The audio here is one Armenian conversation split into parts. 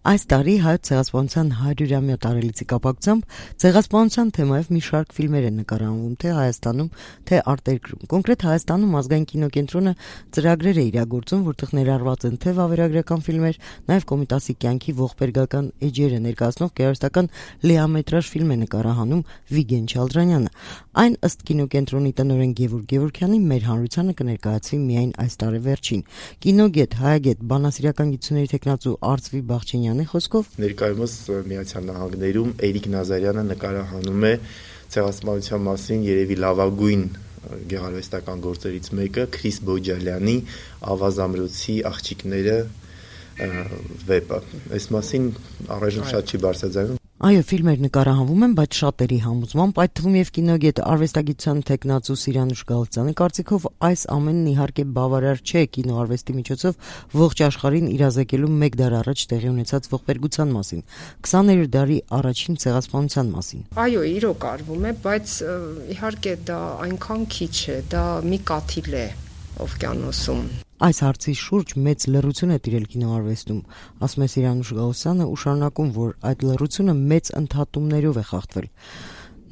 Այս տարի հայոց ցեղասպանության 100-ամյա տարելիցի կապակցությամբ ցեղասպանության թեմայով մի շարք ֆիլմեր են նկարահանվում թե Հայաստանում, թե արտերկրում։ Կոնկրետ Հայաստանում ազգային կինոկենտրոնը ծրագրեր է իրագործում, որտեղ ներառված են թե վավերագրական ֆիլմեր, նաև Կոմիտասի կյանքի ողբերգական էջերը ներկայացնող գեղարվեստական լիամետրաժ ֆիլմ է նկարահանում Վիգեն Չալդրանյանը։ Այն ըստ կինոկենտրոնի տնօրեն Գևորգ Գևորգյանի մեր հանրությանը կներկայացվի միայն այս տարեվերջին։ Կինոգետ, հայագետ, բանասիրական գիտությունների թեկնածու Արծվի Բաղչենյանի խոսքով ներկայումս Միացյալ Նահանգներում Էրիկ Նազարյանը նկարահանում է ցեղասպանության մասին երևի լավագույն գեղարվեստական գործերից մեկը Քրիս Բոջալյանի Ավազամրոցի աղջիկները վեպը։ Այս մասին առայժմ շատ չի բարձրաձայնում։ Այո, ֆիլմեր նկարահանվում են, բայց շատերի համոզմամբ, այդ թվում եւ կինոգետ արվեստագիտության թեկնածու Սիրանուշ Գալստյանի կարծիքով այս ամենն իհարկե բավարար չէ կինոարվեստի միջոցով ողջ աշխարհին իրազեկելու մեկ դար առաջ տեղի ունեցած ողբերգության մասին, 20-րդ դարի առաջին ցեղասպանության մասին։ Այո, իրոք արվում է, բայց իհարկե դա այնքան քիչ է, դա մի կաթիլ է օվկիանոսում։ Այս հարցի շուրջ մեծ լռություն է տիրել կինոարվեստում, ասում է Սիրանուշ Գալստյանը ու շարունակում, որ այդ լռությունը մեծ ընդհատումներով է խախտվել։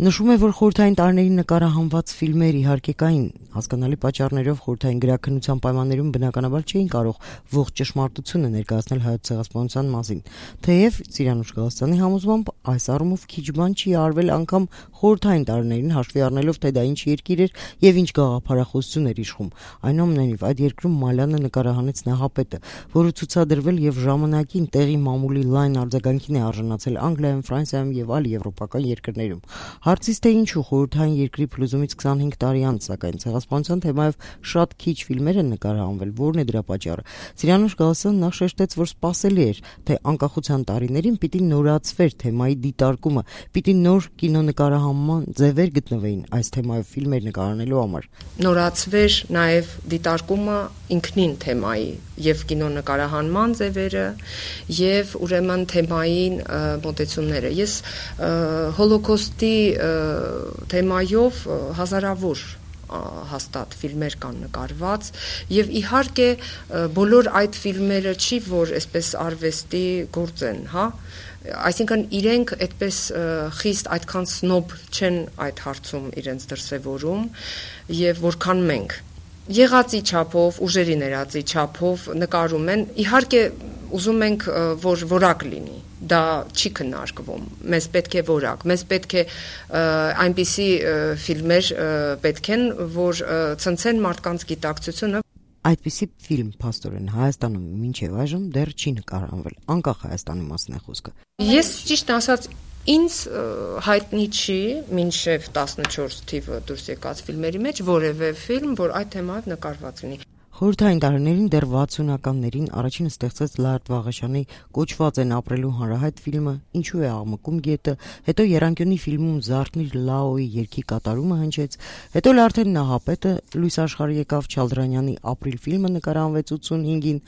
Նշում է, որ խորհրդային տարիներին նկարահանված ֆիլմեր իհարկե կային, հասկանալի պատճառներով խորհրդային գրաքննության պայմաններում բնականաբար չէին կարող ողջ ճշմարտությունը ներկայացնել հայոց ցեղասպանության մասին։ Թեև Սիրանուշ Գալստյանի համոզմամբ այս առումով քիչ բան չի արվել անգամ խորհրդային տարիներին հաշվի առնելով, թե դա ինչ երկիր էր եւ ինչ գաղափարախոսություն էր իշխում։ Այնուամենայնիվ, այդ երկրում Մալյանը նկարահանեց Նահապետը, որը ցուցադրվել եւ ժամանակին տեղի մամուլի լայն արձագանքին է արժանացել Անգլիայում, Ֆրանսիայում եւ այլ եվրոպական երկրներում։ Հարցից թե ինչու խորհրդային երկրի փլուզումից 25 տարի անց, սակայն ցեղասպանության թեմայով շատ քիչ ֆիլմեր են նկարահանվել, որն է դրա պատճառը։ Սիրանուշ Գալստյանը նախ շեշտեց, որ սպասելի էր, թե անկախության տարիներին պիտի նորացվեր թեմայի դիտարկումը, պիտի նոր կինոնկարահանման ձևեր գտնվեին այս թեմայով ֆիլմեր նկարահանելու համար։ Նորացվեր նաև դիտարկումը ինքնին թեմայի եւ կինոնկարահանման ձևերը եւ ուրեմն թեմային մոտեցումները։ Ես հոլոկոստի թեմայով հազարավոր հաստատ ֆիլմեր կան նկարված եւ իհարկե բոլոր այդ ֆիլմերը չի որ այսպես արվեստի գործ են, հա, այսինքն իրենք այդպես խիստ այդքան սնոբ չեն այդ հարցում իրենց դրսևորում եւ որքան մենք եղածի չափով, ուժերի ներածի չափով նկարում են, իհարկե ուզում ենք որ որակ լինի, դա չի քննարկվում, մեզ պետք է որակ, մեզ պետք է այնպիսի ֆիլմեր պետք են, որ ցնցեն մարդկանց գիտակցությունը։ Այդպիսի ֆիլմ փաստորեն Հայաստանում մինչև այժմ դեռ չի նկարահանվել, անկախ Հայաստանի մասն է խոսքը։ Ես ճիշտ ասած ինձ հայտնի չի մինչև 14 թիվը դուրս եկած ֆիլմերի մեջ որևէ ֆիլմ, որ այդ թեմայով նկարված լինի։ Խորհրդային տարիներին դեռ 60-ականներին առաջինը ստեղծեց Լարդ Վաղաշյանի Կոչված են ապրելու հանրահայտ ֆիլմը, Ինչու է աղմկում գետը, հետո Երանկյունի ֆիլմում Զարթնիր Լաոյի երգի կատարումը հնչեց, հետո արդեն Նահապետը լույս աշխարհ եկավ, Չալդրանյանի Ապրիլ ֆիլմը նկարահանվեց 85-ին,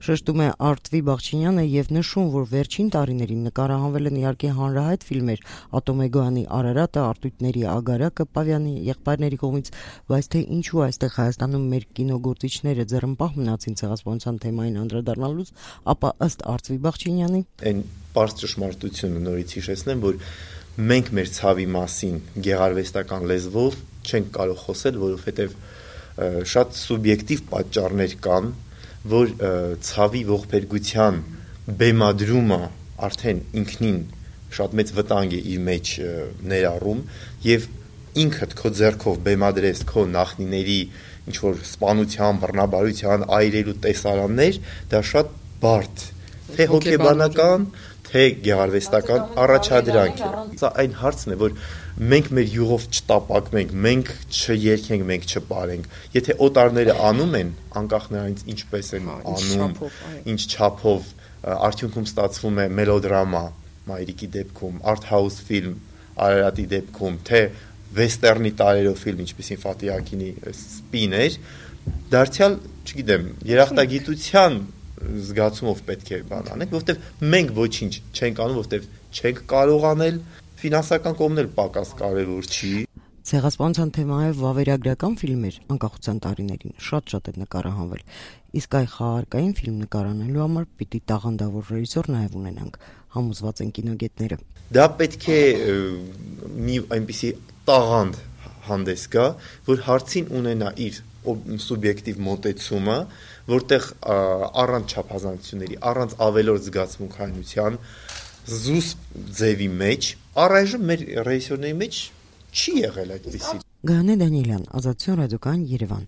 շեշտում է Արծվի Բաղչենյանը եւ նշում, որ վերջին տարիներին նկարահանվել են իհարկե հանրահայտ ֆիլմեր Ատոմեգոյանի Արարատը, Արտույտների Ագարակը, Պավյանի եղբայրների կողմից, բայց թե ինչու այստեղ Հայաստանում մեր կինոգործիչները ձեռնպահ մնացին ցեղասպանության թեմային անդրադառնալուց, ապա ըստ Արծվի Բաղչենյանի այն պարզ ճշմարտությունը նորից հիշեցնեմ, որ մենք մեր ցավի մասին գեղարվեստական լեզվով չենք կարող խոսել, որովհետև շատ սուբյեկտիվ պատճառներ կան, որ ցավի ողբերգության բեմադրումը արդեն ինքնին շատ մեծ վտանգ է իր մեջ ներառում եւ ինքդ քո ձեռքով բեմադրես քո նախնիների ինչ որ սպանության, բռնաբարության, այրելու տեսարաններ, դա շատ բարդ, թե հոգեբանական, թե գեղարվեստական առաջադրանք է։ Սա այն հարցն է, որ մենք մեր յուղով չտապակվենք, մենք չերքենք, մենք չպարենք։ Եթե օտարները անում են, անկախ նրանից ինչպես են անում, ինչ չափով, արդյունքում ստացվում է մելոդրամա, Մայրիկի դեպքում, art house ֆիլմ, Արարատի դեպքում, թե վեստերնի տարերով ֆիլմ, ինչպեսին Ֆաթի Ակինի Սպին էր, դարձյալ, չգիտեմ, երախտագիտության զգացումով պետք է բան անենք, որովհետև մենք ոչինչ չենք անում, որովհետև չենք կարող անել, ֆինանսական կողմն էլ պակաս կարևոր չի։ Ցեղասպանության թեմայով վավերագրական ֆիլմեր անկախության տարիներին շատ է նկարահանվել, իսկ այ խաղարկային ֆիլմ նկարանելու համար պիտի տաղանդավոր ռեժիսոր նաև ունենանք, համոզված են կինոգետները։ Դա պետք է մի այնպիսի տաղանդ հանդես գա, որ հարցին ունենա իր սուբյեկտիվ մոտեցումը, որտեղ առանց չափազանցությունների, առանց ավելորդ զգացմունքայնության, զուսպ ձևի մեջ, առայժմ մեր ռեժիսորների մեջ չի եղել այդպիսի։ Գայանե Դանիելյան, Ազատություն ռադիոկայան, Երևան։